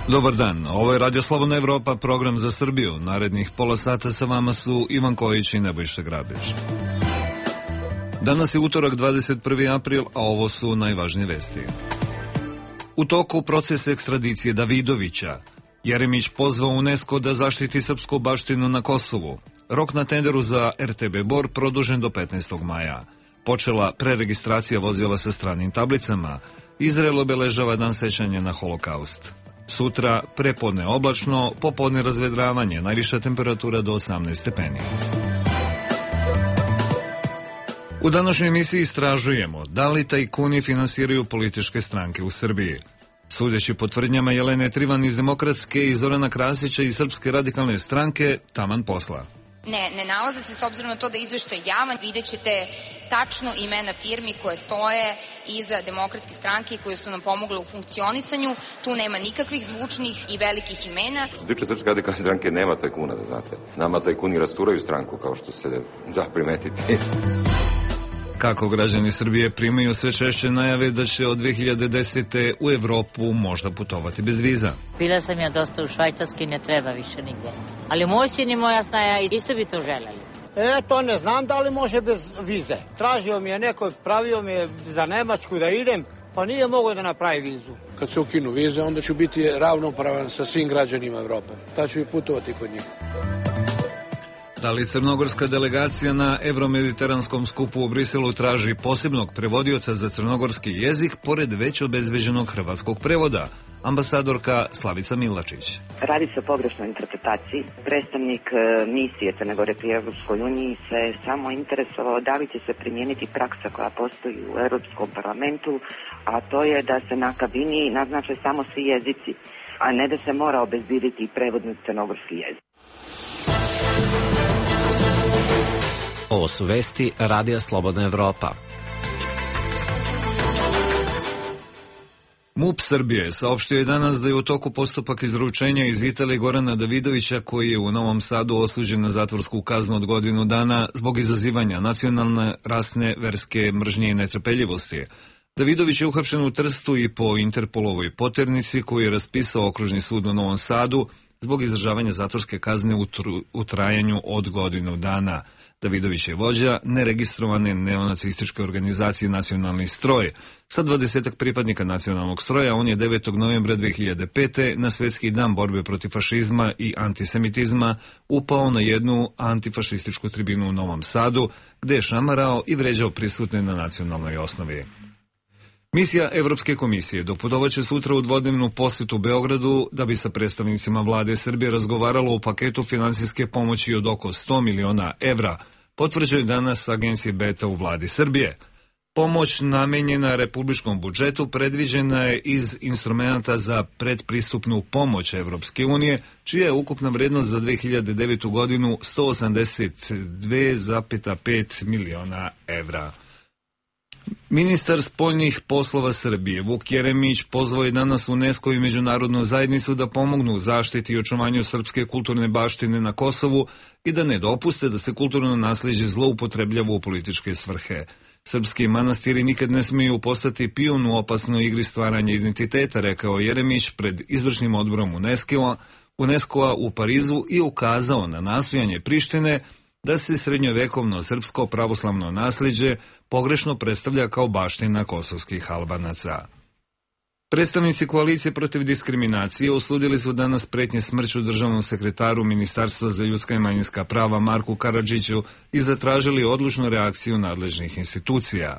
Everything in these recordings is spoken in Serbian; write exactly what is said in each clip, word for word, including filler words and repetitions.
Dobar dan, ovo je Radio Slobodna Evropa, program za Srbiju. Narednih pola sata sa vama su Ivan Kojić i Nebojša Grabić. Danas je utorak, dvadeset prvi april, a ovo su najvažnije vesti. U toku proces ekstradicije Davidovića. Jeremić pozvao UNESCO da zaštiti srpsku baštinu na Kosovu. Rok na tenderu za er te be Bor produžen do petnaestog maja. Počela preregistracija vozila sa stranim tablicama. Izrael obeležava dan sećanja na Holokaust. Sutra prepodne oblačno, popodne razvedravanje, najviša temperatura do osamnaest stepeni. U današnjoj emisiji istražujemo da li tajkuni finansiraju političke stranke u Srbiji. Sudeći po tvrdnjama Jelene Trivan iz Demokratske i Zorana Krasića iz Srpske radikalne stranke, taman posla. Ne, ne nalaze se, s obzirom na to da je izveštaj javan, vidjet ćete tačno imena firmi koje stoje iza Demokratske stranke i koje su nam pomogle u funkcionisanju. Tu nema nikakvih zvučnih i velikih imena. Što se tiče Srpske radikalne stranke, nema tajkuna, da znate. Nama tajkuni rasturaju stranku, kao što se da primetiti. Kako građani Srbije primaju sve češće najave da će od dve hiljade desete. u Evropu možda putovati bez viza. Bila sam ja dosta u Švajcarskoj, ne treba više nigde. Ali moj sin i moja snaja isto bi to želeli. E, to ne znam da li može bez vize. Tražio mi je neko, pravio mi je za Nemačku da idem, pa nije mogao da napravi vizu. Kad se ukinu vize, onda ću biti ravnopravan sa svim građanima Evrope. Ta ću i putovati kod njih. Da li crnogorska delegacija na Evromediteranskom skupu u Briselu traži posebnog prevodioca za crnogorski jezik pored već obezbeđenog hrvatskog prevoda? Ambasadorka Slavica Milačić. Radi se o pogrešnoj interpretaciji. Predstavnik misije Crne Gore pri Evropskoj uniji se samo interesovao da li će se primijeniti praksa koja postoji u Europskom parlamentu, a to je da se na kabini naznače samo svi jezici, a ne da se mora obezbediti prevod na crnogorski jezik. Ovo su vesti Radija Slobodna Evropa. MUP Srbije saopštio je danas da je u toku postupak izručenja iz Italije Gorana Davidovića, koji je u Novom Sadu osuđen na zatvorsku kaznu od godinu dana zbog izazivanja nacionalne, rasne, verske mržnje i netrpeljivosti. Davidović je uhapšen u Trstu i po Interpolovoj poternici koju je raspisao Okružni sud u Novom Sadu zbog izdržavanja zatvorske kazne u, tru, u trajanju od godinu dana. Davidović je vođa neregistrovane neonacističke organizacije Nacionalni stroj. Sa dvadesetak pripadnika nacionalnog stroja on je devetog novembra dve hiljade pete. na Svetski dan borbe protiv fašizma i antisemitizma upao na jednu antifašističku tribinu u Novom Sadu, gde je šamarao i vređao prisutne na nacionalnoj osnovi. Misija Evropske komisije doputovaće sutra u dvodnevnu posjetu Beogradu da bi sa predstavnicima vlade Srbije razgovaralo o paketu finansijske pomoći od oko sto miliona evra, potvrđuje danas agencije Beta u vladi Srbije. Pomoć namenjena republičkom budžetu predviđena je iz instrumenta za predpristupnu pomoć Evropske unije, čija je ukupna vrednost za dve hiljade devetu. godinu sto osamdeset dve zarez pet miliona evra. Ministar spoljnih poslova Srbije Vuk Jeremić pozvao je danas UNESCO i međunarodnu zajednicu da pomognu u zaštiti i očuvanju srpske kulturne baštine na Kosovu i da ne dopuste da se kulturno naslijeđe zloupotrebljava u političke svrhe. Srpski manastiri nikad ne smiju postati pion u opasnoj igri stvaranja identiteta, rekao Jeremić pred izvršnim odborom UNESCO-a UNESCO-a u Parizu i ukazao na nastojanje Prištine da se srednjovekovno srpsko pravoslavno nasljeđe pogrešno predstavlja kao baština kosovskih Albanaca. Predstavnici koalicije protiv diskriminacije osudili su danas pretnje smrću državnom sekretaru Ministarstva za ljudska i manjinska prava Marku Karadžiću i zatražili odlučnu reakciju nadležnih institucija.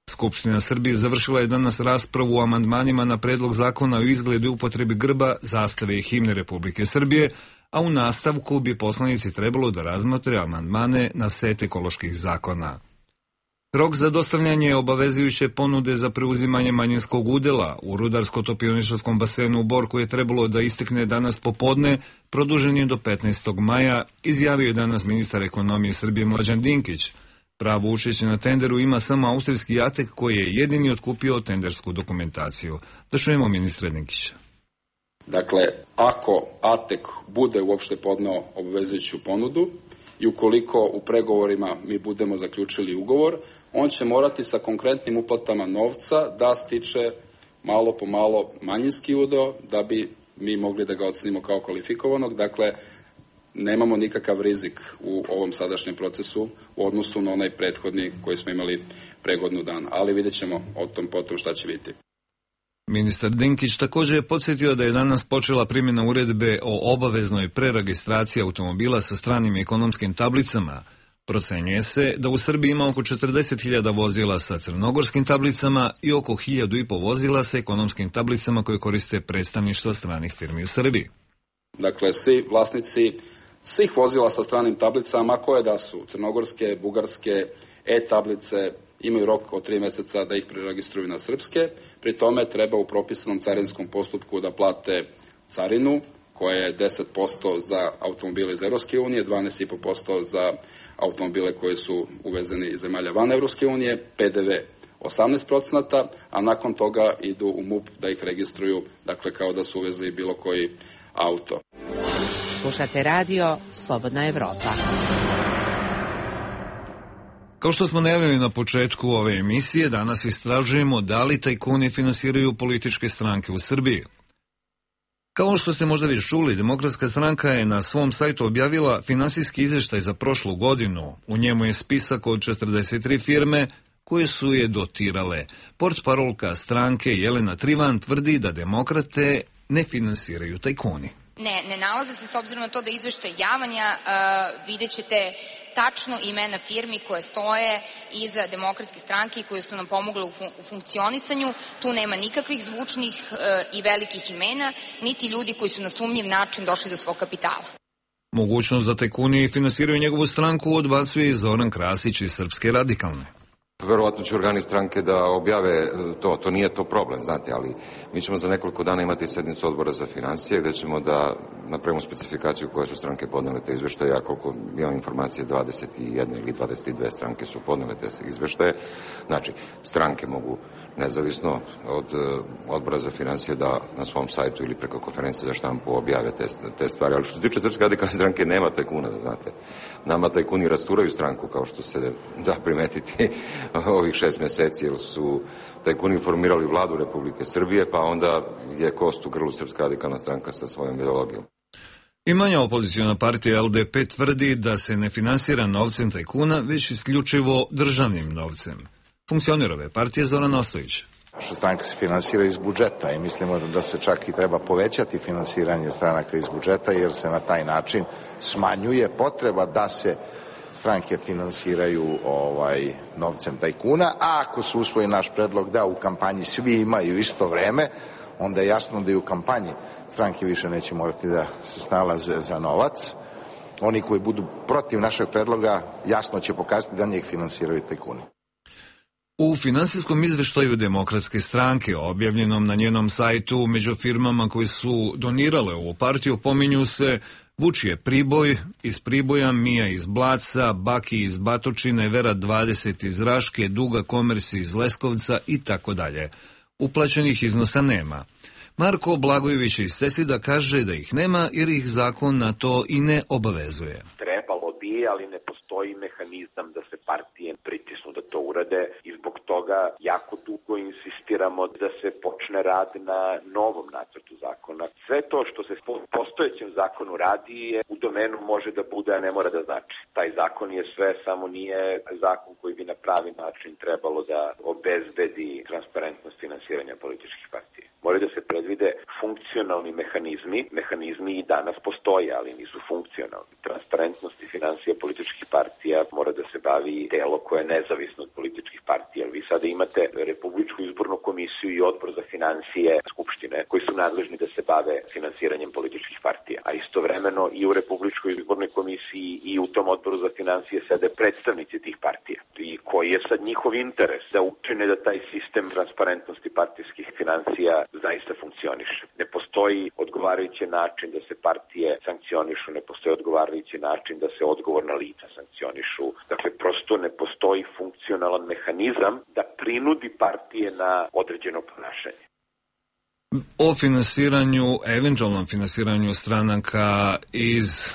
Skupština Srbije završila je danas raspravu o amandmanima na predlog zakona o izgledu i upotrebi grba, zastave i himne Republike Srbije, a u nastavku bi poslanici trebalo da razmotre amandmane na set ekoloških zakona. Rok za dostavljanje obavezujuće ponude za preuzimanje manjinskog udela u rudarsko-topioničarskom basenu u Bor, koje je trebalo da istekne danas popodne, produžen je do petnaestog maja, izjavio je danas ministar ekonomije Srbije Mlađan Dinkić. Pravo učešće na tenderu ima samo austrijski Atek, koji je jedini otkupio tendersku dokumentaciju. Da čujemo ministra Dinkića. Dakle, ako Atek bude uopšte podneo obvezujuću ponudu i ukoliko u pregovorima mi budemo zaključili ugovor, on će morati sa konkretnim uplatama novca da stiče malo po malo manjinski udeo da bi mi mogli da ga ocenimo kao kvalifikovanog. Dakle, nemamo nikakav rizik u ovom sadašnjem procesu u odnosu na onaj prethodni koji smo imali pre godinu dana, ali vidjet ćemo o tom potom šta će biti. Ministar Dinkić također je podsjetio da je danas počela primjena uredbe o obaveznoj preregistraciji automobila sa stranim ekonomskim tablicama. Procenjuje se da u Srbiji ima oko četrdeset hiljada vozila sa crnogorskim tablicama i oko hiljadu i po vozila sa ekonomskim tablicama koje koriste predstavništva stranih firmi u Srbiji. Dakle, svi vlasnici svih vozila sa stranim tablicama, koje da su crnogorske, bugarske, e-tablice, imaju rok od tri meseca da ih preregistruju na srpske. Pri tome treba u propisanom carinskom postupku da plate carinu, koja je deset posto za automobile iz Evropske unije, dvanaest zarez pet posto za automobile koji su uvezeni iz zemalja van Evropske unije, pe de ve osamnaest procenata, a nakon toga idu u MUP da ih registruju, dakle kao da su uvezli bilo koji auto. Slušate radio Slobodna Evropa. Kao što smo najavili na početku ove emisije, danas istražujemo da li tajkuni finansiraju političke stranke u Srbiji. Kao što ste možda već čuli, Demokratska stranka je na svom sajtu objavila finansijski izveštaj za prošlu godinu. U njemu je spisak od četrdeset tri firme koje su je dotirale. Portparolka stranke Jelena Trivan tvrdi da demokrate ne finansiraju tajkuni. Ne, ne nalaze se, s obzirom na to da je izveštaj javanja, uh, vidjet ćete tačno imena firmi koje stoje iza Demokratske stranke i koje su nam pomogle u, fun- u funkcionisanju. Tu nema nikakvih zvučnih uh, i velikih imena, niti ljudi koji su na sumnjiv način došli do svog kapitala. Mogućnost da tajkuni finansiraju njegovu stranku odbacuje i Zoran Krasić iz Srpske radikalne. Verovatno će organi stranke da objave to, to nije to problem, znate, ali mi ćemo za nekoliko dana imati sednicu odbora za financije gde ćemo da napravimo specifikaciju koje su stranke podnele te izveštaje, a koliko imam informacije dvadeset jedna ili dvadeset dve stranke su podnele te izveštaje. Znači, stranke mogu nezavisno od odbora za financije da na svom sajtu ili preko konferencije za štampu objave te, te stvari, ali što se tiče Srpske radikalne stranke nema tajkuna, da znate. Nama tajkuni rasturaju stranku, kao što se da primetiti ovih šest meseci, jer su tajkuni formirali vladu Republike Srbije, pa onda je kost u grlu Srpska radikalna stranka sa svojom ideologijom. I manja opozicijona partija el de pe tvrdi da se ne finansira novcem tajkuna, već isključivo državnim novcem. Funkcioner ove partije Zoran Ostojić. Naša stranka se finansira iz budžeta i mislimo da se čak i treba povećati finansiranje stranaka iz budžeta, jer se na taj način smanjuje potreba da se stranke finansiraju ovaj, novcem tajkuna, a ako se usvoji naš predlog da u kampanji svi imaju isto vreme, onda je jasno da i u kampanji stranke više neće morati da se snalaze za novac. Oni koji budu protiv našeg predloga jasno će pokazati da njih finansiraju tajkuni. U finansijskom izveštaju Demokratske stranke, objavljenom na njenom sajtu, među firmama koje su donirale ovu partiju pominju se Vučije Priboj iz Priboja, Mija iz Blaca, Baki iz Batočine, Vera dvadeset iz Raške, Duga Komersi iz Leskovca i tako dalje. Uplaćenih iznosa nema. Marko Blagojević iz Sesida kaže da ih nema jer ih zakon na to i ne obavezuje. Trebalo bi, ali ne postoji mehanizam da se partije pritisnu da to urade i zbog toga jako dugo insistiramo da se počne rad na novom nacrtu zakona. Sve to što se po postojećem zakonu radi je u domenu može da bude, a ne mora da znači. Taj zakon je sve, samo nije zakon koji bi na pravi način trebalo da obezbedi transparentnost finansiranja političkih partija. Moraju da se predvide funkcionalni mehanizmi. Mehanizmi i danas postoje, ali nisu funkcionalni. Transparentnost i financija političkih partija mora da se bavi telo koje je nezavisno od političkih partija. Vi sada imate Republičku izbornu komisiju i odbor za financije Skupštine koji su nadležni da se bave finansiranjem političkih partija. A istovremeno i u Republičkoj izbornoj komisiji i u tom odboru za financije sede predstavnici tih partija. I koji je sad njihov interes da učine da taj sistem transparentnosti partijskih financija zaista funkcioniše. Ne postoji odgovarajući način da se partije sankcionišu, ne postoji odgovarajući način da se odgovorna lica sankcionišu. Dakle, prosto ne postoji funkcionalan mehanizam da prinudi partije na određeno ponašanje. O finansiranju, eventualnom finansiranju stranaka iz e,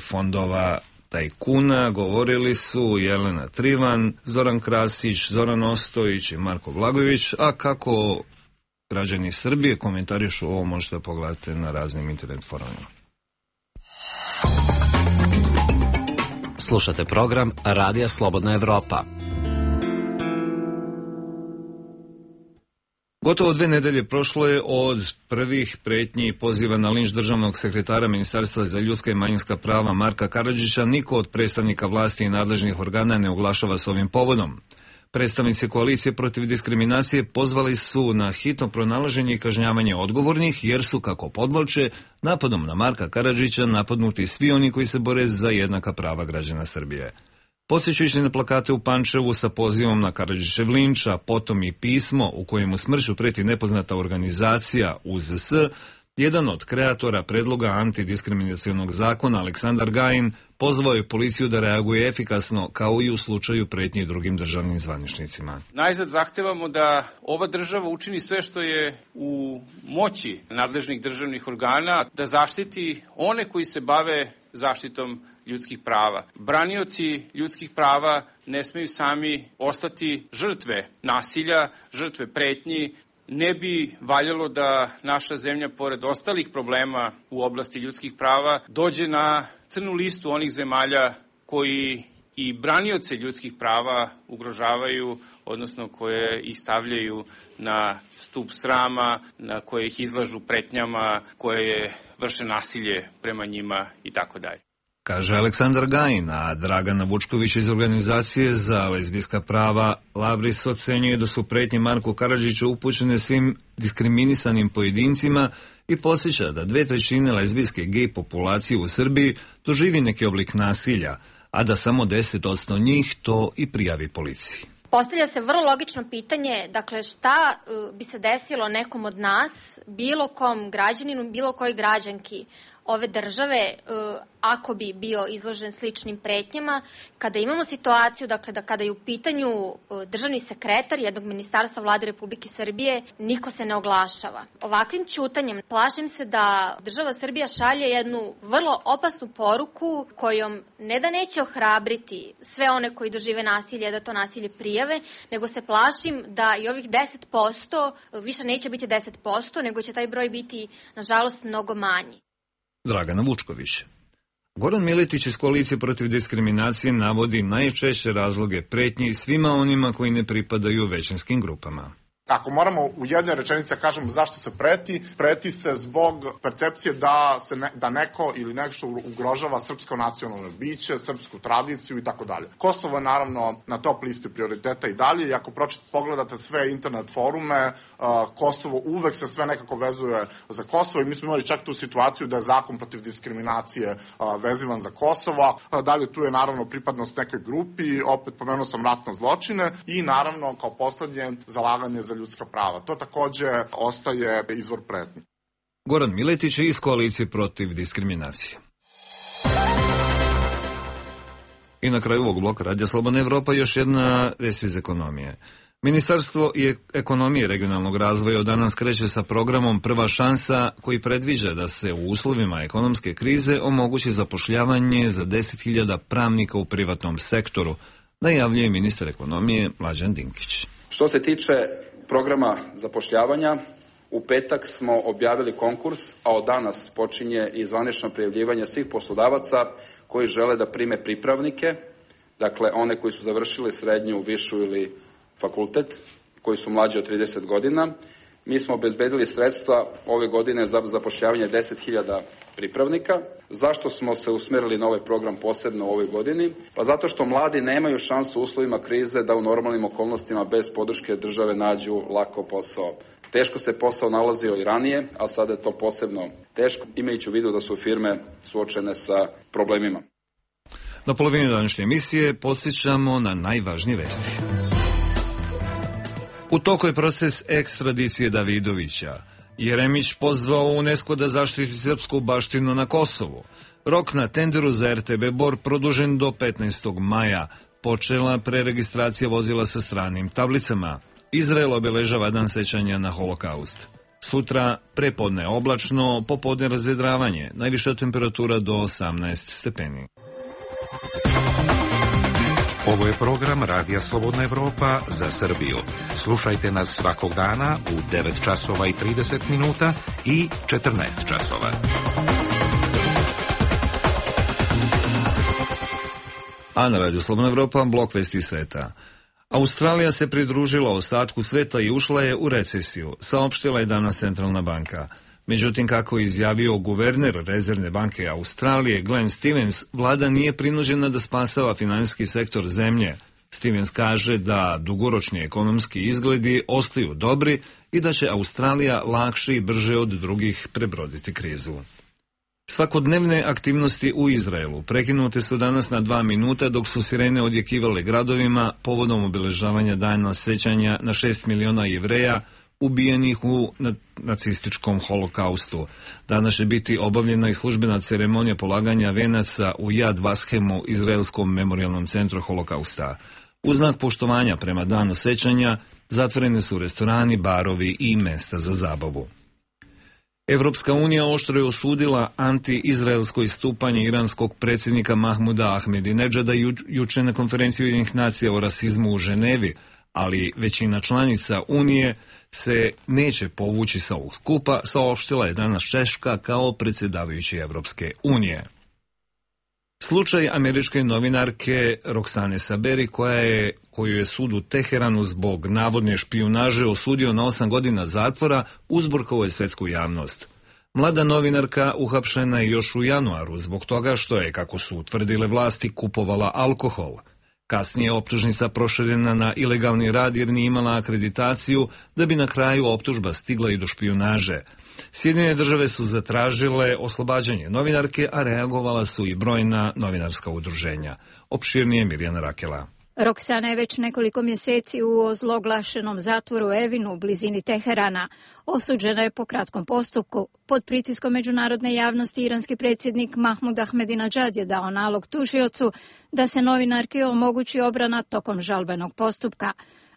fondova tajkuna govorili su Jelena Trivan, Zoran Krasić, Zoran Ostojić i Marko Blagojević, a kako građani Srbije komentarišu ovo, možete pogledati na raznim internet forumima. Slušate program Radija Slobodna Evropa. Gotovo dve nedelje prošlo je od prvih pretnji i poziva na linč državnog sekretara Ministarstva za ljudska i manjinska prava Marka Karadžića. Niko od predstavnika vlasti i nadležnih organa ne oglašava s ovim povodom. Predstavnici koalicije protiv diskriminacije pozvali su na hitno pronalaženje i kažnjavanje odgovornih, jer su, kako podvlače, napadom na Marka Karadžića napadnuti svi oni koji se bore za jednaka prava građana Srbije. Podsjećajući na plakate u Pančevu sa pozivom na Karadžićev linč, a potom i pismo u kojemu smrću preti nepoznata organizacija U Z S, jedan od kreatora predloga antidiskriminacionog zakona, Aleksandar Gajin, pozvao je policiju da reaguje efikasno, kao i u slučaju pretnje drugim državnim zvaničnicima. Najzad zahtevamo da ova država učini sve što je u moći nadležnih državnih organa, da zaštiti one koji se bave zaštitom ljudskih prava. Branioci ljudskih prava ne smeju sami ostati žrtve nasilja, žrtve pretnji. Ne bi valjalo da naša zemlja, pored ostalih problema u oblasti ljudskih prava, dođe na crnu listu onih zemalja koji i branioce ljudskih prava ugrožavaju, odnosno koje ih stavljaju na stup srama, na koje ih izlažu pretnjama, koje vrše nasilje prema njima i tako dalje. Kaže Aleksandar Gajin, a Dragana Vučković iz organizacije za lezbijska prava Labris ocenjuje da su pretnje Marku Karadžiću upućene svim diskriminisanim pojedincima i podsjeća da dve trećine lezbijske gej populacije u Srbiji doživi neki oblik nasilja, a da samo deset posto njih to i prijavi policiji. Postavlja se vrlo logično pitanje, dakle šta bi se desilo nekom od nas, bilo kom građaninu, bilo kojoj građanki ove države, ako bi bio izložen sličnim pretnjama, kada imamo situaciju, dakle, da kada je u pitanju državni sekretar jednog ministarstva Vlade Republike Srbije, niko se ne oglašava. Ovakvim ćutanjem plašim se da država Srbija šalje jednu vrlo opasnu poruku kojom ne da neće ohrabriti sve one koji dožive nasilje da to nasilje prijave, nego se plašim da i ovih deset posto više neće biti deset posto, nego će taj broj biti, nažalost, mnogo manji. Dragana Vučković. Goran Miletić iz koalicije protiv diskriminacije navodi najčešće razloge pretnji svima onima koji ne pripadaju većinskim grupama. Ako moramo u jednoj rečenici kažemo zašto se preti, preti se zbog percepcije da se ne, da neko ili nešto ugrožava srpsko nacionalno biće, srpsku tradiciju i tako dalje. Kosovo je naravno na top listi prioriteta i dalje i ako pročit, pogledate sve internet forume, uh, Kosovo uvek se sve nekako vezuje za Kosovo i mi smo imali čak tu situaciju da je zakon protiv diskriminacije uh, vezivan za Kosovo. Uh, dalje tu je naravno pripadnost nekoj grupi, opet pomenuo sam ratne zločine i naravno kao poslednje zalaganje za ljudska prava. To takođe ostaje izvor pretnji. Goran Miletić iz koalicije protiv diskriminacije. I na kraju ovog bloka Radija Slobodna Evropa još jedna vest iz ekonomije. Ministarstvo i ekonomije i regionalnog razvoja od danas kreće sa programom Prva šansa, koji predviđa da se u uslovima ekonomske krize omogući zapošljavanje za deset hiljada pravnika u privatnom sektoru, najavljuje ministar ekonomije Mlađan Dinkić. Što se tiče programa zapošljavanja, u petak smo objavili konkurs, a od danas počinje i zvanično prijavljivanje svih poslodavaca koji žele da prime pripravnike, dakle one koji su završili srednju, višu ili fakultet, koji su mlađi od trideset godina. Mi smo obezbedili sredstva ove godine za zapošljavanje deset hiljada pripravnika. Zašto smo se usmerili na ovaj program posebno u ovoj godini? Pa zato što mladi nemaju šansu u uslovima krize da u normalnim okolnostima bez podrške države nađu lako posao. Teško se posao nalazio i ranije, a sada je to posebno teško, imajući u vidu da su firme suočene sa problemima. Na polovini današnje emisije podsjećamo na najvažnije vesti. U toku je proces ekstradicije Davidovića. Jeremić pozvao UNESCO da zaštiti srpsku baštinu na Kosovu. Rok na tenderu za R T B Bor produžen do petnaestog maja. Počela preregistracija vozila sa stranim tablicama. Izrael obeležava dan sećanja na Holokaust. Sutra prepodne oblačno, popodne razvedravanje. Najviša temperatura do osamnaest stepeni. Ovo je program Radija Slobodna Evropa za Srbiju. Slušajte nas svakog dana u devet časova i trideset minuta i četrnaest časova. A na Radiju Slobodna Evropa blok vesti sveta. Australija se pridružila ostatku sveta i ušla je u recesiju, saopštila je danas Centralna banka. Međutim, kako je izjavio guverner Rezervne banke Australije Glenn Stevens, vlada nije prinuđena da spasava finansijski sektor zemlje. Stevens kaže da dugoročni ekonomski izgledi ostaju dobri i da će Australija lakše i brže od drugih prebroditi krizu. Svakodnevne aktivnosti u Izraelu prekinute su danas na dva minuta dok su sirene odjekivale gradovima povodom obeležavanja dana sećanja na šest miliona Jevreja ubijenih u nacističkom holokaustu. Danas će biti obavljena i službena ceremonija polaganja venaca u Yad Vashemu, Izraelskom memorijalnom centru holokausta. U znak poštovanja prema danu sećanja zatvorene su restorani, barovi i mesta za zabavu. Evropska unija oštro je osudila anti-izraelsko istupanje iranskog predsjednika Mahmuda Ahmedinedžada ju, juče na konferenciji Ujedinjenih nacija o rasizmu u Ženevi, ali većina članica Unije se neće povući sa ovog skupa, saopštila je danas Češka kao predsjedavajući Evropske unije. Slučaj američke novinarke Roksane Saberi, koja je, koju je sud u Teheranu zbog navodne špijunaže osudio na osam godina zatvora, uzburkao je svetsku javnost. Mlada novinarka uhapšena je još u januaru zbog toga što je, kako su utvrdile vlasti, kupovala alkohol. Kasnije je optužnica proširena na ilegalni rad jer nije imala akreditaciju, da bi na kraju optužba stigla i do špijunaže. Sjedinjene države su zatražile oslobađanje novinarke, a reagovala su i brojna novinarska udruženja. Opširnije Mirjana Rakela. Roksana je već nekoliko mjeseci u ozloglašenom zatvoru Evinu u blizini Teherana. Osuđena je po kratkom postupku. Pod pritiskom međunarodne javnosti iranski predsjednik Mahmud Ahmedinedžad je dao nalog tužiocu da se novinarki omogući obrana tokom žalbenog postupka.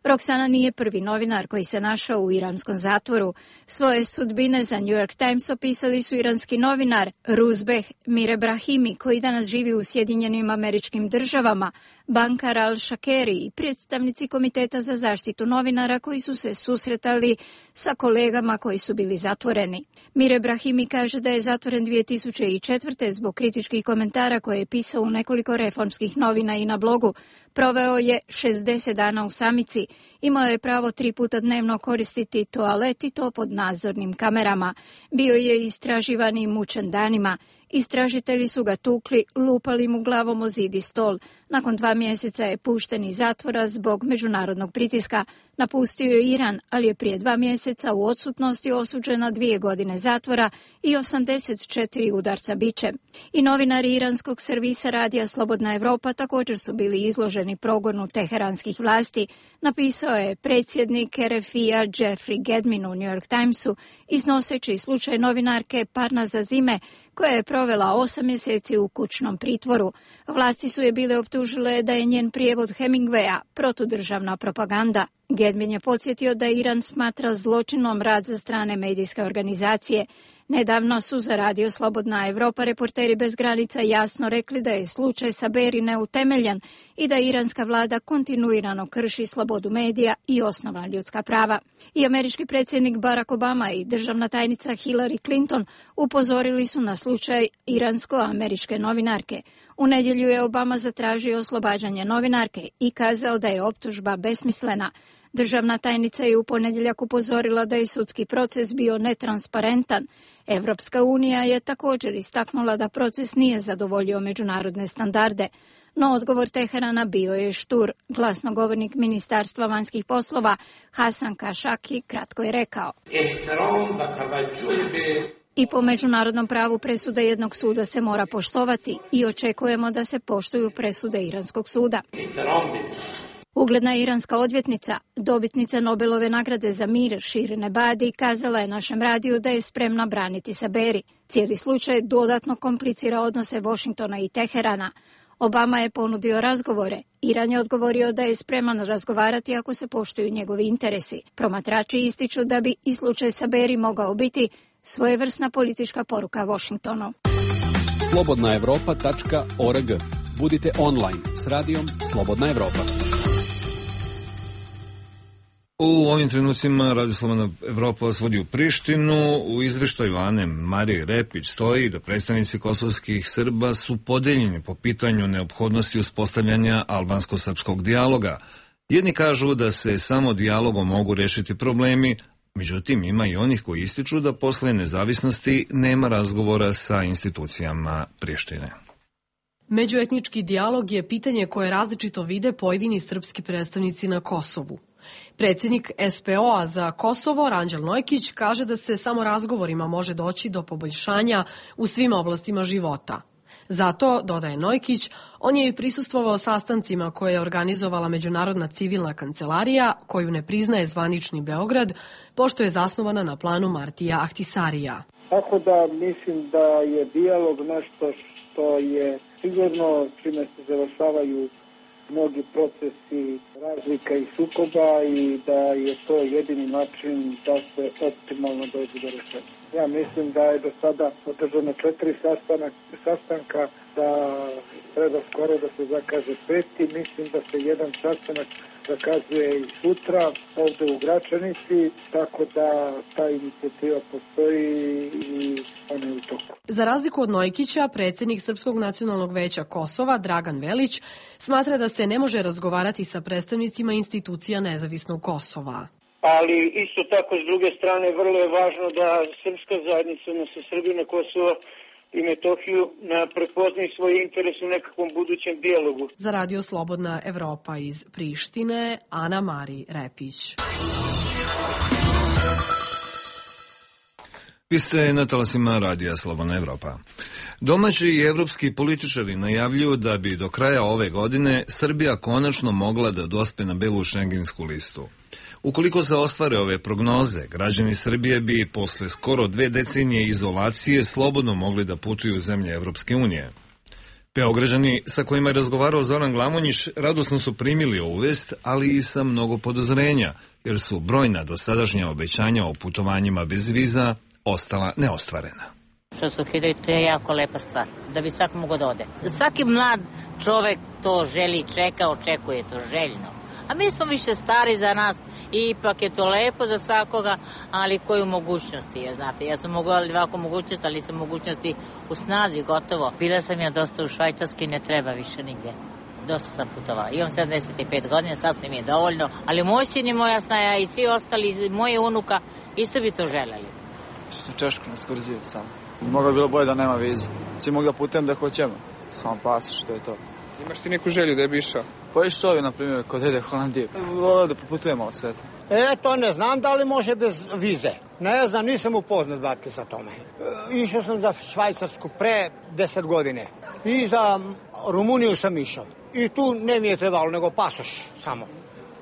Roksana nije prvi novinar koji se našao u iranskom zatvoru. Svoje sudbine za New York Times opisali su iranski novinar Ruzbeh Mirebrahimi, koji danas živi u Sjedinjenim Američkim Državama, bankar Al-Shakeri i predstavnici Komiteta za zaštitu novinara koji su se susretali sa kolegama koji su bili zatvoreni. Mirebrahimi kaže da je zatvoren dvije tisuće četvrte. zbog kritičkih komentara koje je pisao u nekoliko reformskih novina i na blogu. Proveo je šezdeset dana u samici. Imao je pravo tri puta dnevno koristiti toalet i to pod nadzornim kamerama. Bio je istraživan i mučen danima. Istražitelji su ga tukli, lupali mu glavom o zid i stol. Nakon dva mjeseca je pušten iz zatvora zbog međunarodnog pritiska. Napustio je Iran, ali je prije dva mjeseca u odsutnosti osuđen na dvije godine zatvora i osamdeset četiri udarca bičem. I novinari iranskog servisa Radija Slobodna Evropa također su bili izloženi progonu teheranskih vlasti, napisao je predsjednik R F I-a Jeffrey Gedmin u New York Timesu, iznoseći slučaj novinarke Parnaza Zime, koja je provela osam mjeseci u kućnom pritvoru. Vlasti su je bile optužile da je njen prijevod Hemingwaya protudržavna propaganda. Gedmin je podsjetio da Iran smatra zločinom rad za strane medijske organizacije. Nedavno su za Radio Slobodna Evropa reporteri bez granica jasno rekli da je slučaj Saberi neutemeljen i da iranska vlada kontinuirano krši slobodu medija i osnovna ljudska prava. I američki predsjednik Barack Obama i državna tajnica Hillary Clinton upozorili su na slučaj iransko-američke novinarke. U nedjelju je Obama zatražio oslobađanje novinarke i kazao da je optužba besmislena. Državna tajnica je u ponedjeljak upozorila da je sudski proces bio netransparentan. Evropska unija je također istaknula da proces nije zadovoljio međunarodne standarde. No odgovor Teherana bio je štur. Glasnogovornik Ministarstva vanjskih poslova Hasan Kašaki kratko je rekao: I po međunarodnom pravu presuda jednog suda se mora poštovati i očekujemo da se poštuju presude iranskog suda. Ugledna iranska odvjetnica, dobitnica Nobelove nagrade za mir Shirin Ebadi, kazala je našem radiju da je spremna braniti Saberi. Cijeli slučaj dodatno komplicira odnose Washingtona i Teherana. Obama je ponudio razgovore. Iran je odgovorio da je spreman razgovarati ako se poštuju njegovi interesi. Promatrači ističu da bi i slučaj Saberi mogao biti svojevrsna politička poruka Washingtonu. slobodna evropa tačka org. Budite online s radijom Slobodna Evropa. U ovim trenucima Radio Slobodna Evropa vas vodi u Prištinu. U izveštaju Ane Marije Repić stoji da predstavnici kosovskih Srba su podeljeni po pitanju neophodnosti uspostavljanja albansko-srpskog dijaloga. Jedni kažu da se samo dijalogom mogu rešiti problemi, međutim ima i onih koji ističu da posle nezavisnosti nema razgovora sa institucijama Prištine. Međuetnički dijalog je pitanje koje različito vide pojedini srpski predstavnici na Kosovu. Predsjednik S P O-a za Kosovo, Ranđel Nojkić, kaže da se samo razgovorima može doći do poboljšanja u svim oblastima života. Zato, dodaje Nojkić, on je i prisustvovao sastancima koje je organizovala Međunarodna civilna kancelarija, koju ne priznaje zvanični Beograd, pošto je zasnovana na planu Martija Ahtisarija. Tako da mislim da je dijalog nešto što je sigurno čime se završavaju mnogi procesi razlika i sukoba i da je to jedini način da se optimalno dođe do rešenja. Ja mislim da je do sada održano četiri sastanak, sastanka, da treba skoro da se zakaže peti. Mislim da se jedan sastanak zakazuje i sutra ovde u Gračanici, tako da ta inicijativa postoji i ona je u toku. Za razliku od Nojkića, predsjednik Srpskog nacionalnog veća Kosova, Dragan Velić, smatra da se ne može razgovarati sa predstavnicima institucija nezavisnog Kosova. Ali isto tako, s druge strane, vrlo je važno da srpska zajednica, odnosno Srbi na Kosovo i Metohiju, prepoznaju svoj interes u nekakvom budućem dijalogu. Za Radio Slobodna Evropa iz Prištine, Ana Mari Repić. Vi ste na talasima Radija Slobodna Evropa. Domaći i evropski političari najavljuju da bi do kraja ove godine Srbija konačno mogla da dospe na belu šengensku listu. Ukoliko se ostvare ove prognoze, građani Srbije bi posle skoro dve decenije izolacije slobodno mogli da putuju u zemlje Evropske unije. Beograđani sa kojima je razgovarao Zoran Glamonjić radosno su primili ovu vest, ali i sa mnogo podozrenja, jer su brojna dosadašnja obećanja o putovanjima bez viza ostala neostvarena. Što se ukidaju, to je jako lepa stvar, da bi svak mogo da ode. Svaki mlad čovek to želi, čeka, očekuje to željno. A mi smo više stari za nas i ipak je to lepo za svakoga, ali koju mogućnosti je, znate. Ja sam mogla ovako mogućnost, ali sam mogućnosti u snazi, gotovo. Bila sam ja dosta u Švajcarskoj, ne treba više nigde. Dosta sam putovala. Imam sedamdeset pet godina, sasvim je dovoljno, ali moj sin i moja snaja i svi ostali, moje unuka, isto bi to želeli. Što sam Češku na skurziju samo. Moglo bi bilo bolje da nema vize. Svi mogu da putujem da hoćemo. Samo pasoš, to je to. Imaš ti neku želju da je bi išao? Pa išao je, na primjer, kod dede Holandije. Volio da poputujem malo sveta. E, to ne znam da li može bez vize. Ne znam, nisam upoznat, batke, sa tome. E, išao sam za Švajcarsku pre deset godine. I za Rumuniju sam išao. I tu ne mi je trebalo, nego pasoš samo.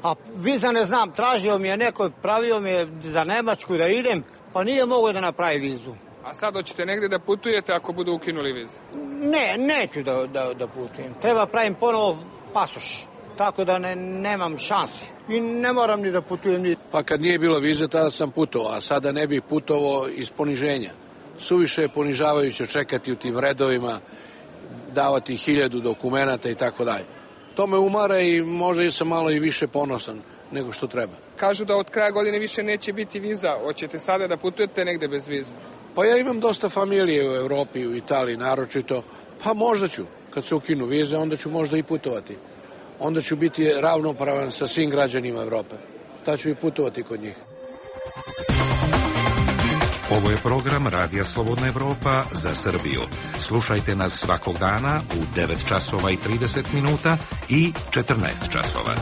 A viza ne znam, tražio mi je neko, pravio mi je za Nemačku da idem, pa nije mogo da napravi vizu. A sad hoćete negde da putujete ako budu ukinuli vizu? Ne, neću da, da, da putujem. Treba pravim ponovo pasoš, tako da ne, nemam šanse. I ne moram ni da putujem ni... Pa kad nije bilo vize, tada sam putovao, a sada ne bih putovao iz poniženja. Suviše je ponižavajuće čekati u tim redovima, davati hiljadu dokumenata i tako dalje. To me umara i možda sam malo i više ponosan nego što treba. Kažu da od kraja godine više neće biti viza. Hoćete sada da putujete negde bez vize? Pa ja imam dosta familije u Evropi, u Italiji naročito. Pa možda ću, kad se ukinu vize, onda ću možda i putovati. Onda ću biti ravnopravan sa svim građanima Evrope. Ta ću i putovati kod njih. Ovo je program Radija Slobodna Evropa za Srbiju. Slušajte nas svakog dana u devet časova i trideset minuta i četrnaest časova.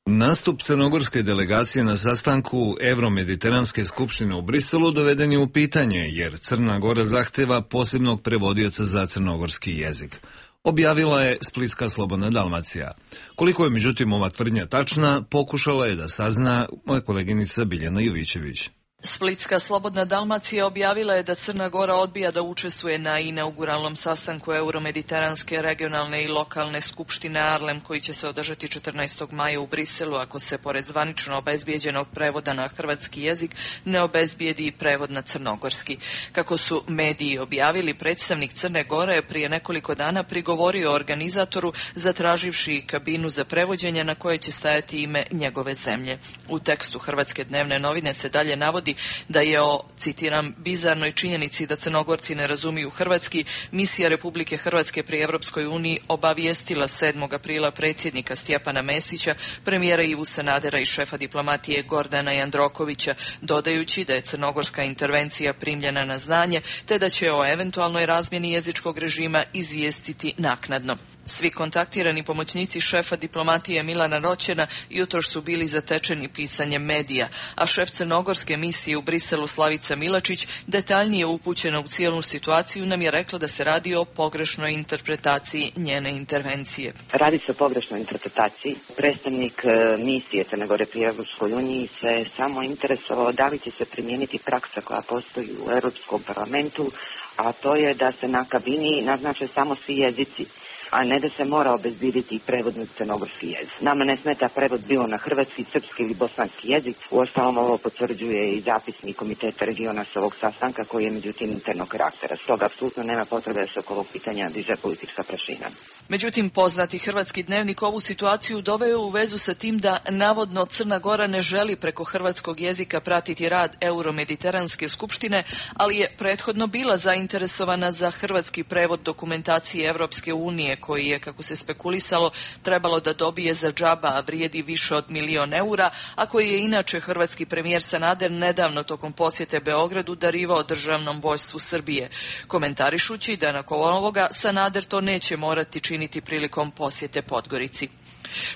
Nastup crnogorske delegacije na sastanku Evromediteranske skupštine u Briselu doveden je u pitanje, jer Crna Gora zahteva posebnog prevodioca za crnogorski jezik. Objavila je Splitska Slobodna Dalmacija. Koliko je međutim ova tvrdnja tačna, pokušala je da sazna moja koleginica Biljana Jovićević. Splitska Slobodna Dalmacija objavila je da Crna Gora odbija da učestvuje na inauguralnom sastanku Euromediteranske regionalne i lokalne skupštine Arlem koji će se održati četrnaestog maja u Briselu ako se pored zvanično obezbijeđenog prevoda na hrvatski jezik ne obezbijedi prevod na crnogorski. Kako su mediji objavili, predstavnik Crne Gore je prije nekoliko dana prigovorio organizatoru zatraživši kabinu za prevođenje na kojoj će stajati ime njegove zemlje. U tekstu Hrvatske dnevne novine se dalje navodi da je o, citiram, bizarnoj činjenici da Crnogorci ne razumiju hrvatski, misija Republike Hrvatske pri Evropskoj uniji obavijestila sedmog aprila predsjednika Stjepana Mesića, premijera Ivu Sanadera i šefa diplomatije Gordana Jandrokovića, dodajući da je crnogorska intervencija primljena na znanje, te da će o eventualnoj razmjeni jezičkog režima izvijestiti naknadno. Svi kontaktirani pomoćnici šefa diplomatije Milana Roćena jutros su bili zatečeni pisanjem medija, a šef crnogorske misije u Briselu Slavica Milačić, detaljnije upućena u cijelu situaciju, nam je rekla da se radi o pogrešnoj interpretaciji njene intervencije. Radi se o pogrešnoj interpretaciji. Predstavnik misije Crne Gore pri Evropskoj uniji se samo interesovao da li će se primijeniti praksa koja postoji u Europskom parlamentu, a to je da se na kabini naznače samo svi jezici, a ne da se mora obezbjediti prevod na crnogorski jezik. Nama ne smeta prevod bilo na hrvatski, srpski ili bosanski jezik. Uostalom ovo potvrđuje i zapisnik Komiteta regiona s ovog sastanka koji je međutim internog karaktera. Stoga apsolutno nema potrebe da se oko ovog pitanja diže politička prašina. Međutim, poznati hrvatski dnevnik ovu situaciju doveo u vezu sa tim da navodno Crna Gora ne želi preko hrvatskog jezika pratiti rad Euromediteranske skupštine, ali je prethodno bila zainteresovana za hrvatski prevod dokumentacije Evropske unije koji je, kako se spekulisalo, trebalo da dobije za džaba, a vrijedi više od milion eura, a koji je inače hrvatski premijer Sanader nedavno tokom posjete Beogradu darivao državnom vojstvu Srbije, komentarišući da nakon ovoga Sanader to neće morati činiti prilikom posjete Podgorici.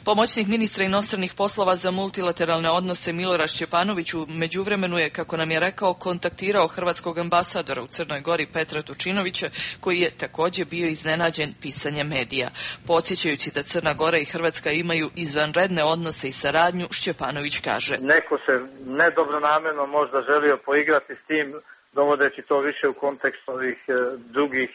Pomoćnik ministra inostranih poslova za multilateralne odnose Milorad Šćepanović u međuvremenu je, kako nam je rekao, kontaktirao hrvatskog ambasadora u Crnoj Gori Petra Tučinovića, koji je također bio iznenađen pisanjem medija. Podsjećajući da Crna Gora i Hrvatska imaju izvanredne odnose i saradnju, Šćepanović kaže: Neko se nedobronamjerno možda želio poigrati s tim, dovodeći to više u kontekst ovih drugih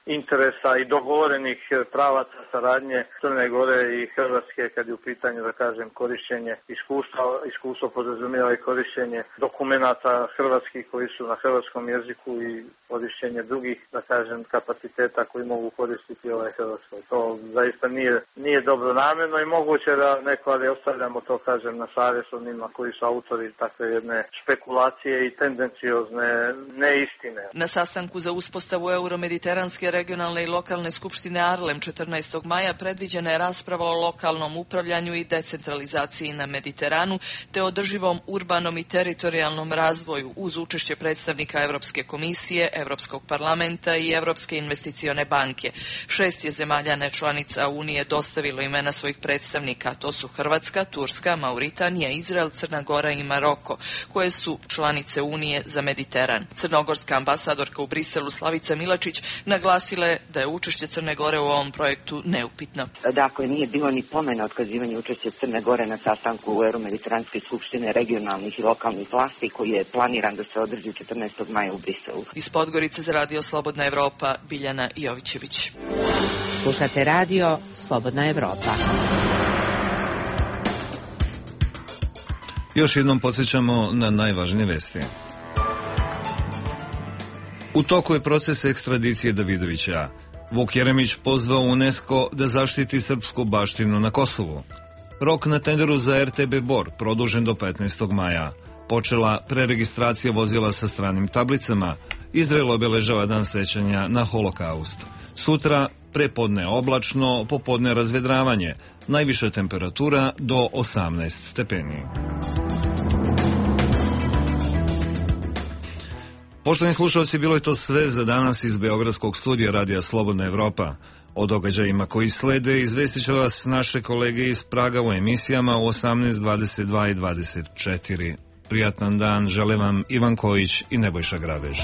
interesa i dogovorenih pravaca saradnje Crne Gore i Hrvatske kad je u pitanju, da kažem, korišćenje iskustva. Iskustvo podrazumijeva i korišćenje dokumenata hrvatskih koji su na hrvatskom jeziku i korišćenje drugih, da kažem, kapaciteta koji mogu koristiti ovaj Hrvatskoj. To zaista nije, nije dobro namjerno i moguće da neko, ali ostavljamo to, kažem, na savjest onima koji su autori takve jedne špekulacije i tendenciozne neistine. Na sastanku za uspostavu Euromediteranske regionalne i lokalne skupštine Arlem četrnaestog maja predviđena je rasprava o lokalnom upravljanju i decentralizaciji na Mediteranu te održivom urbanom i teritorijalnom razvoju uz učešće predstavnika Evropske komisije, Evropskog parlamenta i Evropske investicione banke. Šest je zemalja nečlanica Unije dostavilo imena svojih predstavnika, to su Hrvatska, Turska, Mauritanija, Izrael, Crna Gora i Maroko, koje su članice Unije za Mediteran. Crnogorska ambasadorka u Briselu Slavica Milačić naglasila je da je učešće Crne Gore u ovom projektu neupitno. Dakle, nije bilo ni pomena otkazivanja učešća Crne Gore na sastanku u Euromediteranske skupštine regionalnih i lokalnih vlasti koji je planiran da se održi četrnaestog maja u Briselu. Iz Podgorice za Radio Slobodna Evropa, Biljana Jovićević. Slušate Radio Slobodna Evropa. Još jednom podsjećamo na najvažnije vesti. U toku je proces ekstradicije Davidovića. Vuk Jeremić pozvao UNESCO da zaštiti srpsku baštinu na Kosovu. Rok na tenderu za er te be Bor produžen do petnaestog maja. Počela preregistracija vozila sa stranim tablicama. Izrael obeležava dan sećanja na holokaust. Sutra prepodne oblačno, popodne razvedravanje. Najviša temperatura do osamnaest stepeni. Poštovani slušalci, bilo je to sve za danas iz Beogradskog studija Radija Slobodna Evropa. O događajima koji slede izvestit će vas naše kolege iz Praga u emisijama u osamnaest, dvadeset dva i dvadeset četiri. Prijatan dan žele vam Ivan Kojić i Nebojša Grabež.